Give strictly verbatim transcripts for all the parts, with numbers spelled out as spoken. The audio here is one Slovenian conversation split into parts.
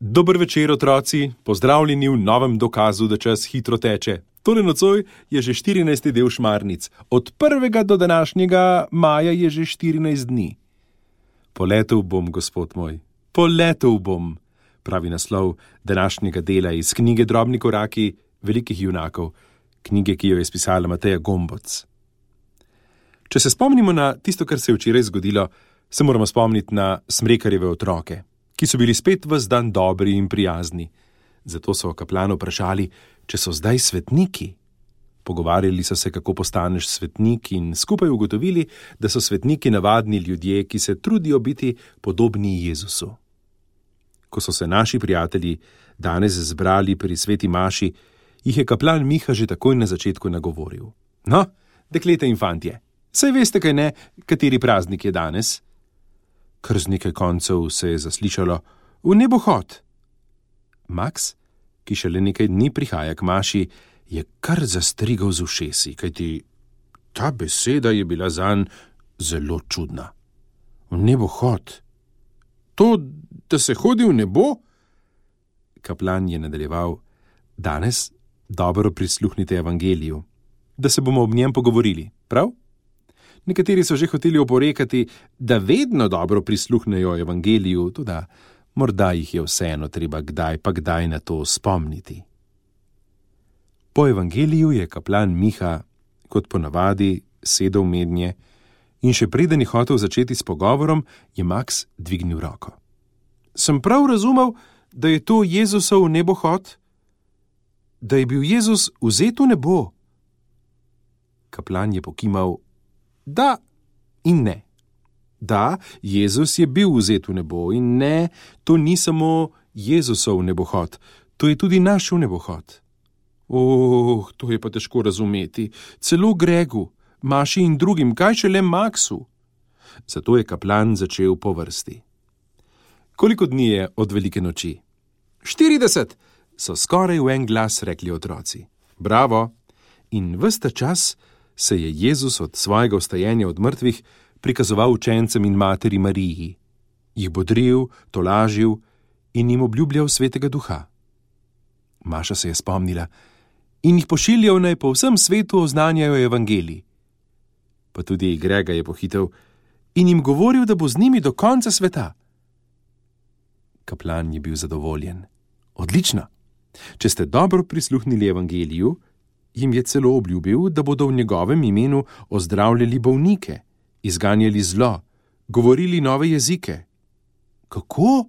Dober večer, otroci, pozdravljeni v novem dokazu, da čas hitro teče. Tole nocoj je že štirinajsti del Šmarnic, od prvega do današnjega maja je že štirinajst dni. Poletel bom, gospod moj, poletel bom, pravi naslov današnjega dela iz knjige Drobni koraki velikih junakov, knjige, ki jo je spisala Mateja Gomboc. Če se spomnimo na tisto, kar se je včeraj zgodilo, se moramo spomniti na Smrekarjeve otroke, ki so bili spet ves dan dobri in prijazni. Zato so kaplana vprašali, če so zdaj svetniki. Pogovarjali so se, kako postaneš svetnik, in skupaj ugotovili, da so svetniki navadni ljudje, ki se trudijo biti podobni Jezusu. Ko so se naši prijatelji danes zbrali pri sveti maši, jih je kaplan Miha že takoj na začetku nagovoril. No, dekleta in fantje, saj veste, kaj ne, kateri praznik je danes? Kar z nekaj koncev se je zaslišalo: v nebohod. Maks, ki šele nekaj dni prihaja k maši, je kar zastrigal z ušesi, kajti ta beseda je bila zanj zelo čudna. V nebohod? To, da se hodi v nebo? Kaplan je nadaljeval: danes dobro prisluhnite evangeliju, da se bomo ob njem pogovorili, prav? Nekateri so že hoteli oporekati, da vedno dobro prisluhnejo evangeliju, tudi morda jih je vseeno treba kdaj pa kdaj na to spomniti. Po evangeliju je kaplan Miha, kot ponavadi, sedel mednje in še preden je hotel začeti s pogovorom, je Maks dvignil roko. Sem prav razumel, da je to Jezusov nebohod? Da je bil Jezus vzet v nebo? Kaplan je pokimal: da in ne. Da, Jezus je bil vzet v nebo, in ne, to ni samo Jezusov nebohod, to je tudi naš nebohod. Oh, to je pa težko razumeti. Celo Gregu, Maši in drugim, kaj šele Maksu. Zato je kaplan začel po vrsti. Koliko dni je od velike noči? štirideset, so skoraj v en glas rekli otroci. Bravo! In ves ta čas se je Jezus od svojega vstajenja od mrtvih prikazoval učencem in materi Mariji, jih bodril, tolažil in jim obljubljal svetega duha. Maša se je spomnila: in jih pošiljal naj po vsem svetu oznanjajo evangelij. Pa tudi Grega je pohitel in jim govoril, da bo z njimi do konca sveta. Kaplan je bil zadovoljen. Odlično! Če ste dobro prisluhnili evangeliju, jim je celo obljubil, da bodo v njegovem imenu ozdravljali bolnike, izganjali zlo, govorili nove jezike. Kako?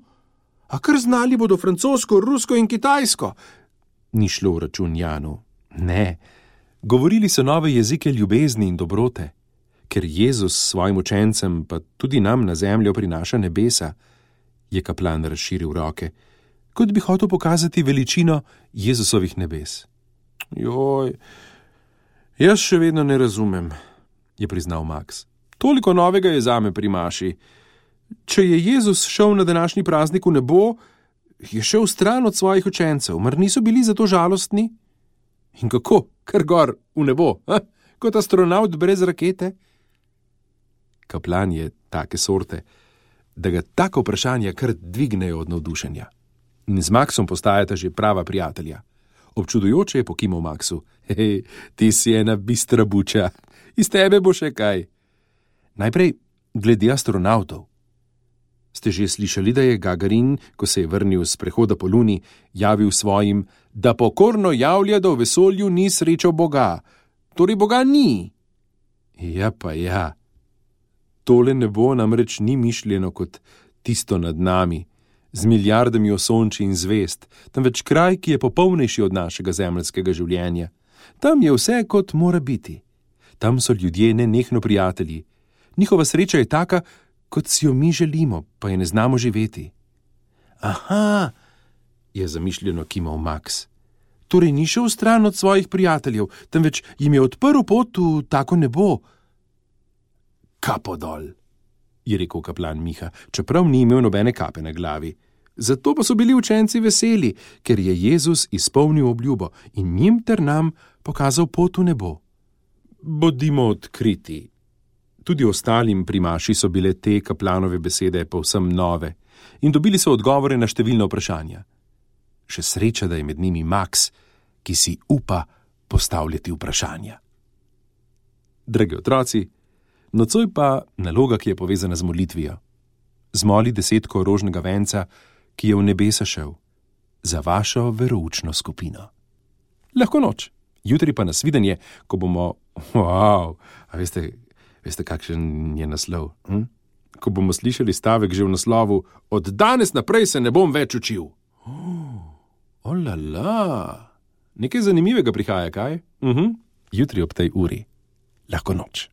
A kar znali bodo francosko, rusko in kitajsko? Ni šlo v račun Janu. Ne, govorili so nove jezike ljubezni in dobrote, ker Jezus svojim učencem, pa tudi nam na zemljo prinaša nebesa. Je kaplan razširil roke, kot bi hotel pokazati veličino Jezusovih nebes. Joj, jaz še vedno ne razumem, je priznal Maks. Toliko novega je zame pri maši. Če je Jezus šel na današnji praznik v nebo, je šel stran od svojih učencev, mar niso bili zato žalostni? In kako? Kar gor v nebo, ha? Kot astronaut brez rakete? Kaplan je take sorte, da ga tako vprašanja kar dvignejo od navdušenja. In z Maksom postajata že prava prijatelja. Občudujoče je pokimal Maksu: hej, ti si ena bistra buča, iz tebe bo še kaj. Najprej glede astronautov. Ste že slišali, da je Gagarin, ko se je vrnil z prehoda po Luni, javil svojim, da pokorno javlja, da v vesolju ni srečal Boga. Torej Boga ni. Ja pa ja. Tole nebo namreč ni mišljeno kot tisto nad nami, z milijardami osončij in zvest, temveč kraj, ki je popolnejši od našega zemeljskega življenja. Tam je vse, kot mora biti. Tam so ljudje nenehno prijatelji. Njihova sreča je taka, kot si jo mi želimo, pa je ne znamo živeti. Aha, je zamišljeno kimal Maks. Torej ni šel stran od svojih prijateljev, temveč jim je odprl pot v tako nebo. Kapo dol, je rekel kaplan Miha, čeprav ni imel nobene kape na glavi. Zato pa so bili učenci veseli, ker je Jezus izpolnil obljubo in njim ter nam pokazal pot v nebo. Bodimo odkriti. Tudi ostalim pri maši so bile te kaplanove besede povsem nove in dobili so odgovore na številna vprašanja. Še sreča, da je med njimi Max, ki si upa postavljati vprašanja. Dragi otroci, nocoj pa naloga, ki je povezana z molitvijo. Zmoli desetko rožnega venca, ki je v nebesa šel, za vašo veroučno skupino. Lahko noč, jutri pa nasvidenje, ko bomo, wow, a veste, veste kakšen je naslov? Hm? Ko bomo slišali stavek že v naslovu, od danes naprej se ne bom več učil. Oh, olala, nekaj zanimivega prihaja, kaj? Uh-huh. Jutri ob tej uri. Lahko noč.